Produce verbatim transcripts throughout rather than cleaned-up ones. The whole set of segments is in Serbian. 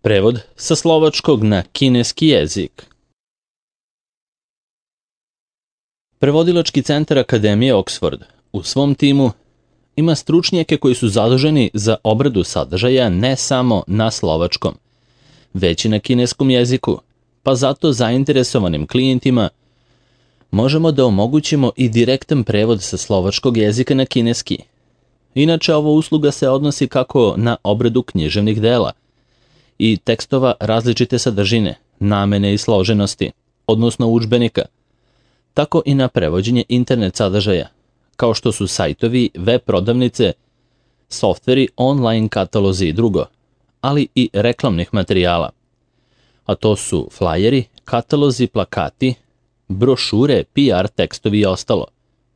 Prevod sa slovačkog na kineski jezik. Prevodilački centar Akademije Oxford u svom timu ima stručnjake koji su zaduženi za obradu sadržaja ne samo na slovačkom, već i na kineskom jeziku, pa zato zainteresovanim klijentima možemo da omogućimo i direktan prevod sa slovačkog jezika na kineski. Inače, ova usluga se odnosi kako na obradu književnih dela i tekstova različite sadržine, namene i složenosti, odnosno udžbenika, tako i na prevođenje internet sadržaja, kao što su sajtovi, web prodavnice, softveri, online katalozi i drugo, ali i reklamnih materijala. A to su flajeri, katalozi, plakati, brošure, P R tekstovi i ostalo,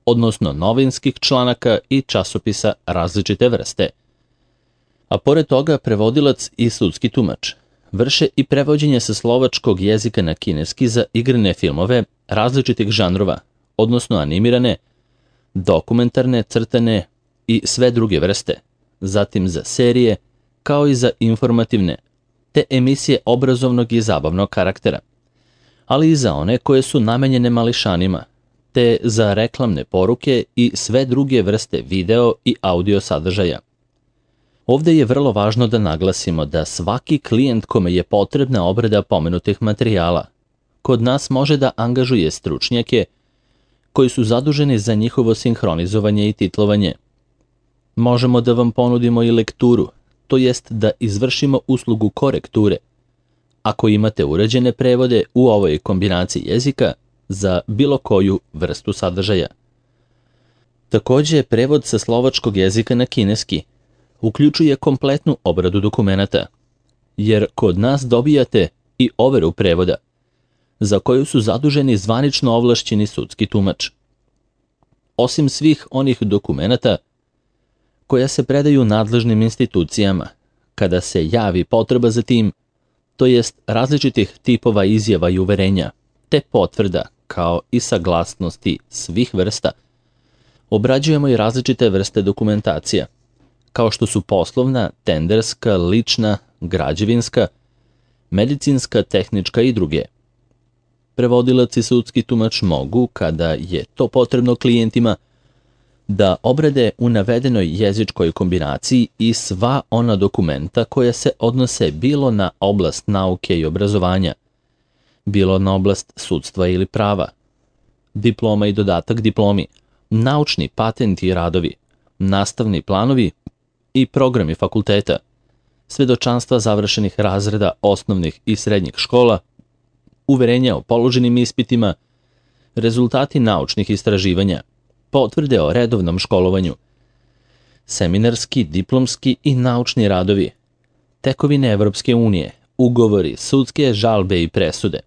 odnosno novinskih članaka i časopisa različite vrste. A pored toga, prevodilac i sudski tumač vrše i prevođenje sa slovačkog jezika na kineski za igrane filmove različitih žanrova, odnosno animirane, dokumentarne, crtane i sve druge vrste, zatim za serije, kao i za informativne, te emisije obrazovnog i zabavnog karaktera, ali i za one koje su namenjene mališanima, te za reklamne poruke i sve druge vrste video i audio sadržaja. Ovde je vrlo važno da naglasimo da svaki klijent kome je potrebna obrada pomenutih materijala kod nas može da angažuje stručnjake koji su zaduženi za njihovo sinhronizovanje i titlovanje. Možemo da vam ponudimo i lekturu, to jest da izvršimo uslugu korekture, ako imate uređene prevode u ovoj kombinaciji jezika za bilo koju vrstu sadržaja. Takođe, prevod sa slovačkog jezika na kineski uključuje kompletnu obradu dokumenata, jer kod nas dobijate i overu prevoda, za koju su zaduženi zvanično ovlašćeni sudski tumač. Osim svih onih dokumenata koja se predaju nadležnim institucijama, kada se javi potreba za tim, to jest različitih tipova izjava i uverenja, te potvrda, kao i saglasnosti svih vrsta, obrađujemo i različite vrste dokumentacija, kao što su poslovna, tenderska, lična, građevinska, medicinska, tehnička i druge. Prevodilac i sudski tumač mogu, kada je to potrebno klijentima, da obrade u navedenoj jezičkoj kombinaciji i sva ona dokumenta koja se odnose bilo na oblast nauke i obrazovanja, bilo na oblast sudstva ili prava, diploma i dodatak diplomi, naučni patenti i radovi, nastavni planovi i programi fakulteta, svedočanstva završenih razreda osnovnih i srednjih škola, uverenja o položenim ispitima, rezultati naučnih istraživanja, potvrde o redovnom školovanju, seminarski, diplomski i naučni radovi, tekovine Evropske unije, ugovori, sudske žalbe i presude,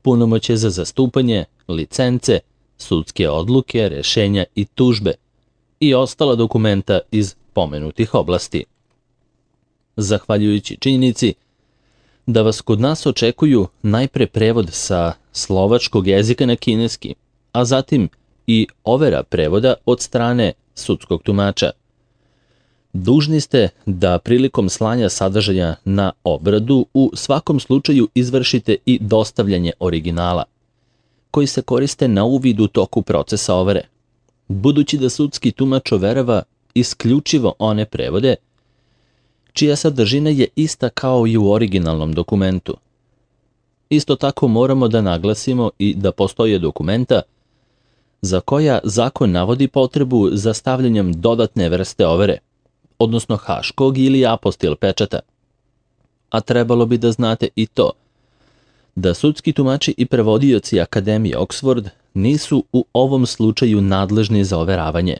punomoćje za zastupanje, licence, sudske odluke, rešenja i tužbe i ostala dokumenta iz pomenutih oblasti. Zahvaljujući činjenici da vas kod nas očekuju najpre prevod sa slovačkog jezika na kineski, a zatim i overa prevoda od strane sudskog tumača. Dužni ste da prilikom slanja sadržaja na obradu u svakom slučaju izvršite i dostavljanje originala, koji se koriste na uvid u toku procesa overe, budući da sudski tumač overava isključivo one prevode čija sadržina je ista kao i u originalnom dokumentu. Isto tako moramo da naglasimo i da postoje dokumenta za koja zakon navodi potrebu za stavljanjem dodatne vrste overe, odnosno haškog ili apostil pečata. A trebalo bi da znate i to, da sudski tumači i prevodioci Akademije Oxford nisu u ovom slučaju nadležni za overavanje,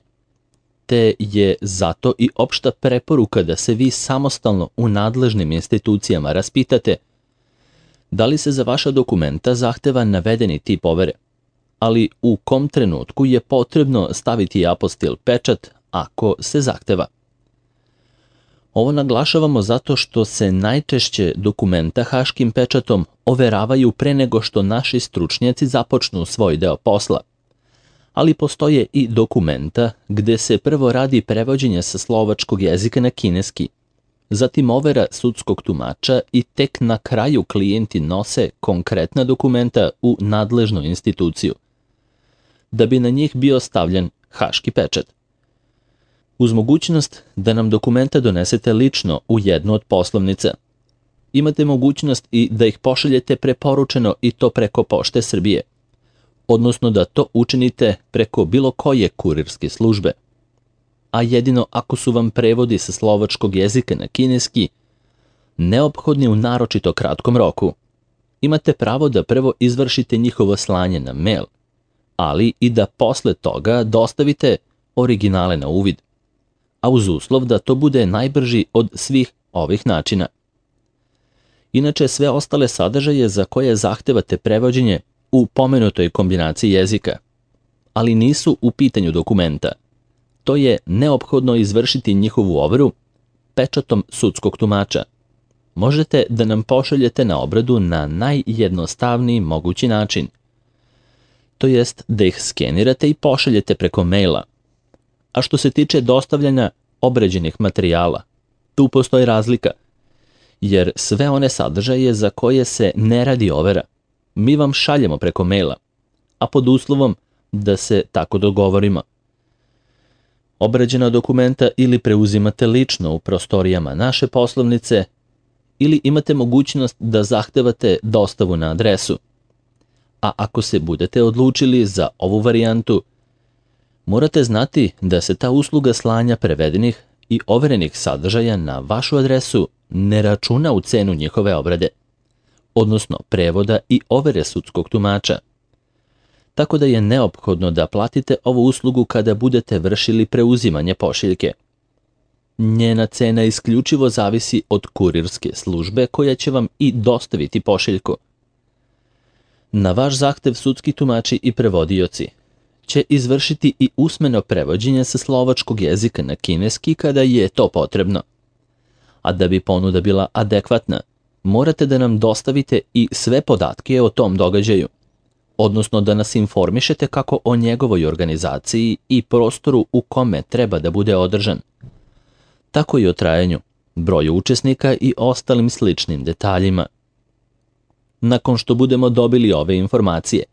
te je zato i opšta preporuka da se vi samostalno u nadležnim institucijama raspitate da li se za vaša dokumenta zahteva navedeni tip overe, ali u kom trenutku je potrebno staviti apostil pečat ako se zahteva. Ovo naglašavamo zato što se najčešće dokumenta haškim pečatom overavaju pre nego što naši stručnjaci započnu svoj deo posla, ali postoje i dokumenta gde se prvo radi prevođenje sa slovačkog jezika na kineski, zatim overa sudskog tumača i tek na kraju klijenti nose konkretna dokumenta u nadležnu instituciju, da bi na njih bio stavljen haški pečat. Uz mogućnost da nam dokumenta donesete lično u jednu od poslovnica, imate mogućnost i da ih pošaljete preporučeno i to preko Pošte Srbije, odnosno da to učinite preko bilo koje kurirske službe. A jedino ako su vam prevodi sa slovačkog jezika na kineski neophodni u naročito kratkom roku, imate pravo da prvo izvršite njihovo slanje na mail, ali i da posle toga dostavite originale na uvid, a uz uslov da to bude najbrži od svih ovih načina. Inače, sve ostale sadržaje za koje zahtevate prevođenje u pomenutoj kombinaciji jezika, ali nisu u pitanju dokumenta, to je neophodno izvršiti njihovu overu pečatom sudskog tumača. Možete da nam pošaljete na obradu na najjednostavniji mogući način, to jest da ih skenirate i pošaljete preko maila. A što se tiče dostavljanja obrađenih materijala, tu postoji razlika, jer sve one sadržaje za koje se ne radi overa, mi vam šaljemo preko maila, a pod uslovom da se tako dogovorimo. Obrađena dokumenta ili preuzimate lično u prostorijama naše poslovnice, ili imate mogućnost da zahtevate dostavu na adresu. A ako se budete odlučili za ovu varijantu, morate znati da se ta usluga slanja prevedenih i overenih sadržaja na vašu adresu ne računa u cenu njihove obrade, odnosno prevoda i overe sudskog tumača. Tako da je neophodno da platite ovu uslugu kada budete vršili preuzimanje pošiljke. Njena cena isključivo zavisi od kurirske službe koja će vam i dostaviti pošiljku. Na vaš zahtev sudski tumači i prevodioci će izvršiti i usmeno prevođenje sa slovačkog jezika na kineski kada je to potrebno. A da bi ponuda bila adekvatna, morate da nam dostavite i sve podatke o tom događaju, odnosno da nas informišete kako o njegovoj organizaciji i prostoru u kome treba da bude održan, tako i o trajanju, broju učesnika i ostalim sličnim detaljima. Nakon što budemo dobili ove informacije,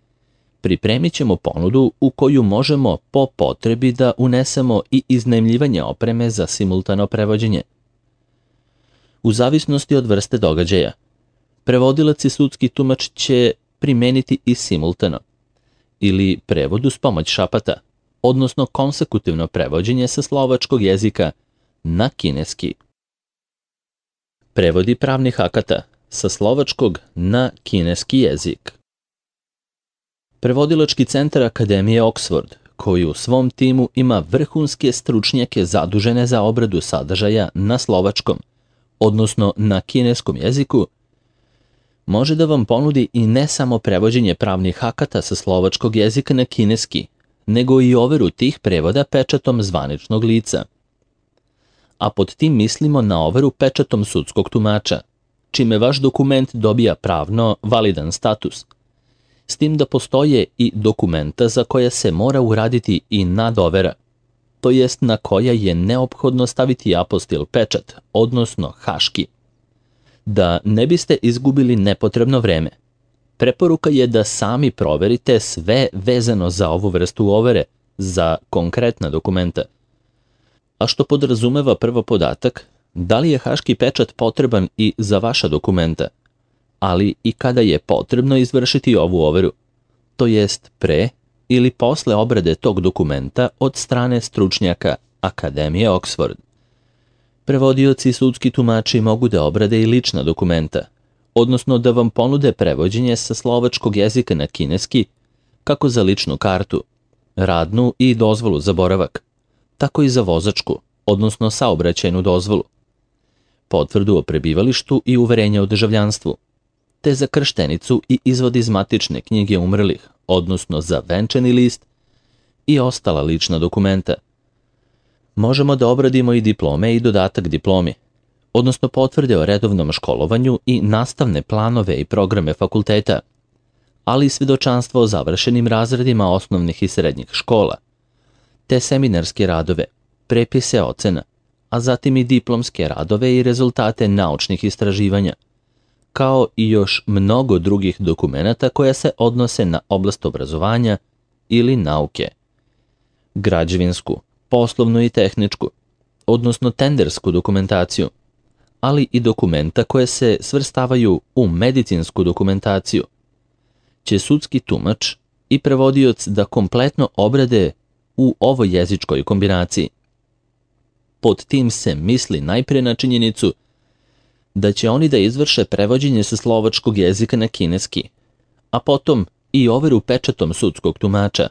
pripremit ćemo ponudu u koju možemo po potrebi da unesemo i iznajmljivanje opreme za simultano prevođenje. U zavisnosti od vrste događaja, prevodilac i sudski tumač će primeniti i simultano, ili prevod uz pomoć šapata, odnosno konsekutivno prevođenje sa slovačkog jezika na kineski. Prevodi pravnih akata sa slovačkog na kineski jezik. Prevodilački centar Akademije Oxford, koji u svom timu ima vrhunske stručnjake zadužene za obradu sadržaja na slovačkom, odnosno na kineskom jeziku, može da vam ponudi i ne samo prevođenje pravnih akata sa slovačkog jezika na kineski, nego i overu tih prevoda pečatom zvaničnog lica. A pod tim mislimo na overu pečatom sudskog tumača, čime vaš dokument dobija pravno validan status, s tim da postoje i dokumenta za koja se mora uraditi i nadovera, to jest na koja je neophodno staviti apostil pečat, odnosno haški. Da ne biste izgubili nepotrebno vreme, preporuka je da sami proverite sve vezano za ovu vrstu overe za konkretna dokumenta. A što podrazumeva prvo podatak, da li je haški pečat potreban i za vaša dokumenta, ali i kada je potrebno izvršiti ovu overu, to jest pre ili posle obrade tog dokumenta od strane stručnjaka Akademije Oxford. Prevodioci i sudski tumači mogu da obrade i lična dokumenta, odnosno da vam ponude prevođenje sa slovačkog jezika na kineski, kako za ličnu kartu, radnu i dozvolu za boravak, tako i za vozačku, odnosno saobraćajnu dozvolu, potvrdu o prebivalištu i uverenje o državljanstvu, te za krštenicu i izvod iz matične knjige umrlih, odnosno za venčani list i ostala lična dokumenta. Možemo da obradimo i diplome i dodatak diplomi, odnosno potvrde o redovnom školovanju i nastavne planove i programe fakulteta, ali i svedočanstvo o završenim razredima osnovnih i srednjih škola, te seminarske radove, prepise ocena, a zatim i diplomske radove i rezultate naučnih istraživanja, kao i još mnogo drugih dokumenata koja se odnose na oblast obrazovanja ili nauke. Građevinsku, poslovnu i tehničku, odnosno tendersku dokumentaciju, ali i dokumenta koje se svrstavaju u medicinsku dokumentaciju, će sudski tumač i prevodioc da kompletno obrade u ovoj jezičkoj kombinaciji. Pod tim se misli najprije na činjenicu da će oni da izvrše prevođenje sa slovačkog jezika na kineski, a potom i overu pečatom sudskog tumača,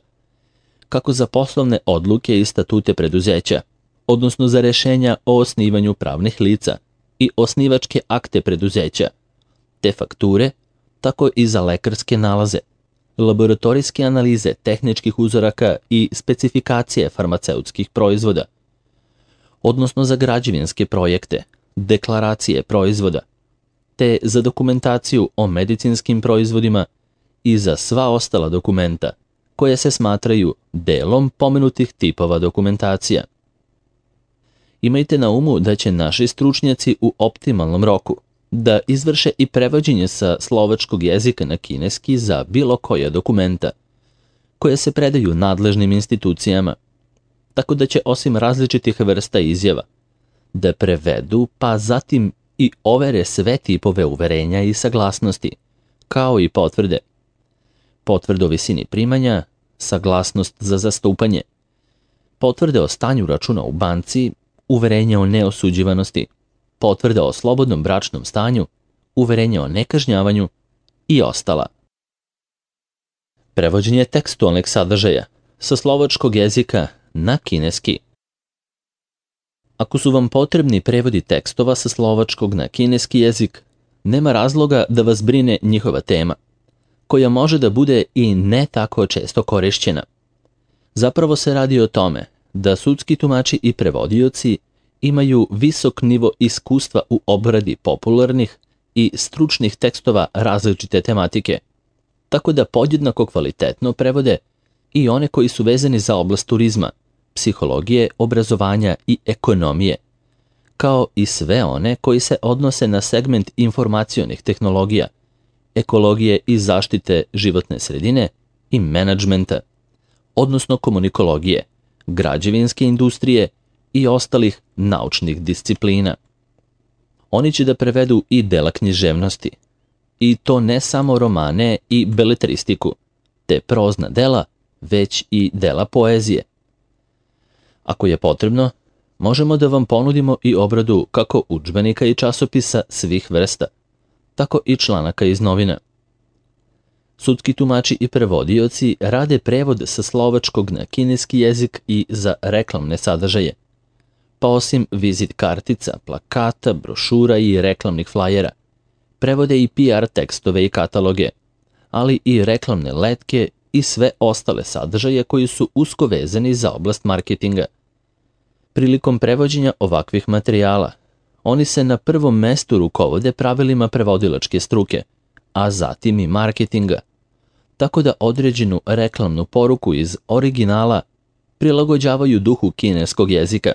kako za poslovne odluke i statute preduzeća, odnosno za rešenja o osnivanju pravnih lica i osnivačke akte preduzeća, te fakture, tako i za lekarske nalaze, laboratorijske analize tehničkih uzoraka i specifikacije farmaceutskih proizvoda, odnosno za građevinske projekte, deklaracije proizvoda, te za dokumentaciju o medicinskim proizvodima i za sva ostala dokumenta koje se smatraju delom pomenutih tipova dokumentacija. Imajte na umu da će naši stručnjaci u optimalnom roku da izvrše i prevođenje sa slovačkog jezika na kineski za bilo koja dokumenta koje se predaju nadležnim institucijama, tako da će osim različitih vrsta izjava da prevedu pa zatim i overe sve tipove uverenja i saglasnosti, kao i potvrde. Potvrde o visini primanja, saglasnost za zastupanje, potvrde o stanju računa u banci, uverenje o neosuđivanosti, potvrda o slobodnom bračnom stanju, uverenje o nekažnjavanju i ostala. Prevođenje tekstualnih sadržaja sa slovačkog jezika na kineski. Ako su vam potrebni prevodi tekstova sa slovačkog na kineski jezik, nema razloga da vas brine njihova tema, koja može da bude i ne tako često korišćena. Zapravo se radi o tome da sudski tumači i prevodioci imaju visok nivo iskustva u obradi popularnih i stručnih tekstova različite tematike, tako da podjednako kvalitetno prevode i one koji su vezani za oblast turizma, psihologije, obrazovanja i ekonomije, kao i sve one koji se odnose na segment informacionih tehnologija, ekologije i zaštite životne sredine i menadžmenta, odnosno komunikologije, građevinske industrije i ostalih naučnih disciplina. Oni će da prevedu i dela književnosti, i to ne samo romane i beletristiku, te prozna dela, već i dela poezije. Ako je potrebno, možemo da vam ponudimo i obradu kako udžbenika i časopisa svih vrsta, tako i članaka iz novina. Sudski tumači i prevodioci rade prevod sa slovačkog na kineski jezik i za reklamne sadržaje, pa osim vizit kartica, plakata, brošura i reklamnih flajera, prevode i P R tekstove i kataloge, ali i reklamne letke i sve ostale sadržaje koji su usko vezani za oblast marketinga. Prilikom prevođenja ovakvih materijala, oni se na prvom mestu rukovode pravilima prevodilačke struke, a zatim i marketinga, tako da određenu reklamnu poruku iz originala prilagođavaju duhu kineskog jezika,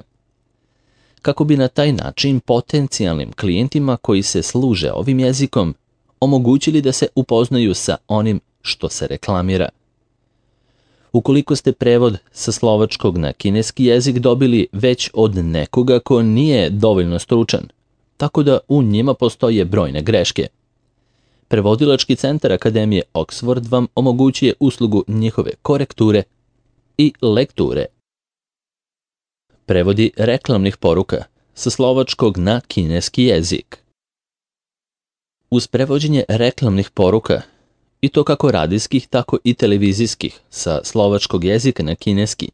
kako bi na taj način potencijalnim klijentima koji se služe ovim jezikom omogućili da se upoznaju sa onim što se reklamira. Ukoliko ste prevod sa slovačkog na kineski jezik dobili već od nekoga ko nije dovoljno stručan, tako da u njima postoje brojne greške, Prevodilački centar Akademije Oxford vam omogućuje uslugu njihove korekture i lekture. Prevodi reklamnih poruka sa slovačkog na kineski jezik. Uz prevođenje reklamnih poruka, i to kako radijskih, tako i televizijskih, sa slovačkog jezika na kineski,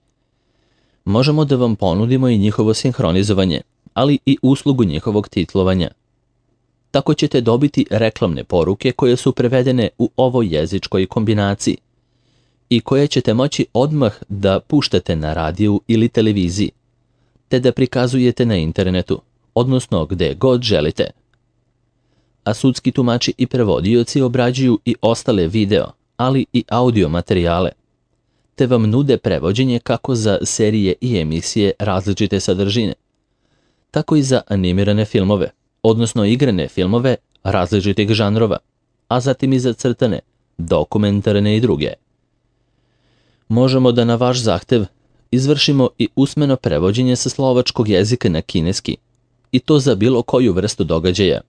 možemo da vam ponudimo i njihovo sinhronizovanje, ali i uslugu njihovog titlovanja. Tako ćete dobiti reklamne poruke koje su prevedene u ovoj jezičkoj kombinaciji i koje ćete moći odmah da puštate na radiju ili televiziji, te da prikazujete na internetu, odnosno gde god želite. A sudski tumači i prevodioci obrađuju i ostale video, ali i audio materijale, te vam nude prevođenje kako za serije i emisije različite sadržine, tako i za animirane filmove, odnosno igrane filmove različitih žanrova, a zatim i za crtane, dokumentarne i druge. Možemo da na vaš zahtev izvršimo i usmeno prevođenje sa slovačkog jezika na kineski, i to za bilo koju vrstu događaja,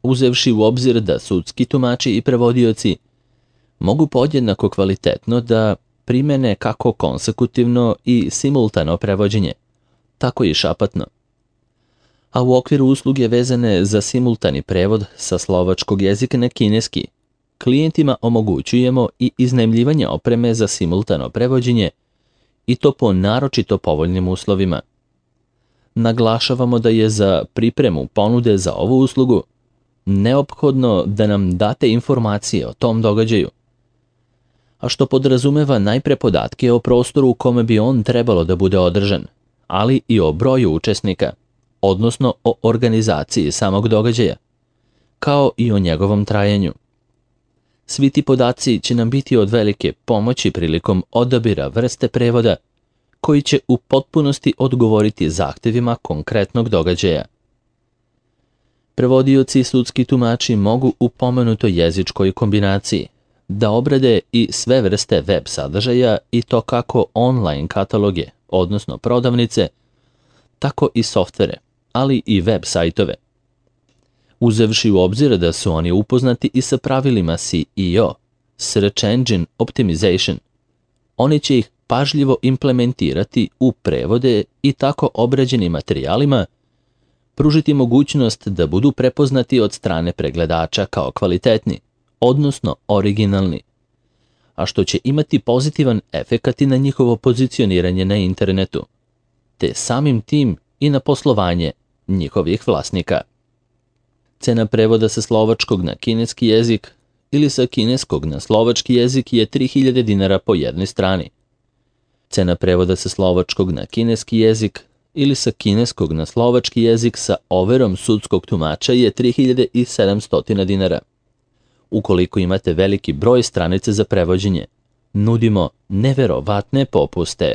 uzevši u obzir da sudski tumači i prevodioci mogu podjednako kvalitetno da primene kako konsekutivno i simultano prevođenje, tako i šapatno. A u okviru usluge vezane za simultani prevod sa slovačkog jezika na kineski, klijentima omogućujemo i iznajmljivanje opreme za simultano prevođenje, i to po naročito povoljnim uslovima. Naglašavamo da je za pripremu ponude za ovu uslugu neophodno da nam date informacije o tom događaju, a što podrazumeva najpre podatke o prostoru u kome bi on trebalo da bude održan, ali i o broju učesnika, odnosno o organizaciji samog događaja, kao i o njegovom trajanju. Svi ti podaci će nam biti od velike pomoći prilikom odabira vrste prevoda koji će u potpunosti odgovoriti zahtevima konkretnog događaja. Prevodioci i sudski tumači mogu u pomenutoj jezičkoj kombinaciji da obrade i sve vrste web sadržaja, i to kako online kataloge, odnosno prodavnice, tako i softvere, ali i web sajtove. Uzevši u obzir da su oni upoznati i sa pravilima S E O, Search Engine Optimization, oni će ih pažljivo implementirati u prevode i tako obrađenim materijalima pružiti mogućnost da budu prepoznati od strane pregledača kao kvalitetni, odnosno originalni, a što će imati pozitivan efekat i na njihovo pozicioniranje na internetu, te samim tim i na poslovanje njihovih vlasnika. Cena prevoda sa slovačkog na kineski jezik ili sa kineskog na slovački jezik je tri hiljade dinara po jednoj strani. Cena prevoda sa slovačkog na kineski jezik ili sa kineskog na slovački jezik sa overom sudskog tumača je tri hiljade sedamsto dinara. Ukoliko imate veliki broj stranica za prevođenje, nudimo neverovatne popuste.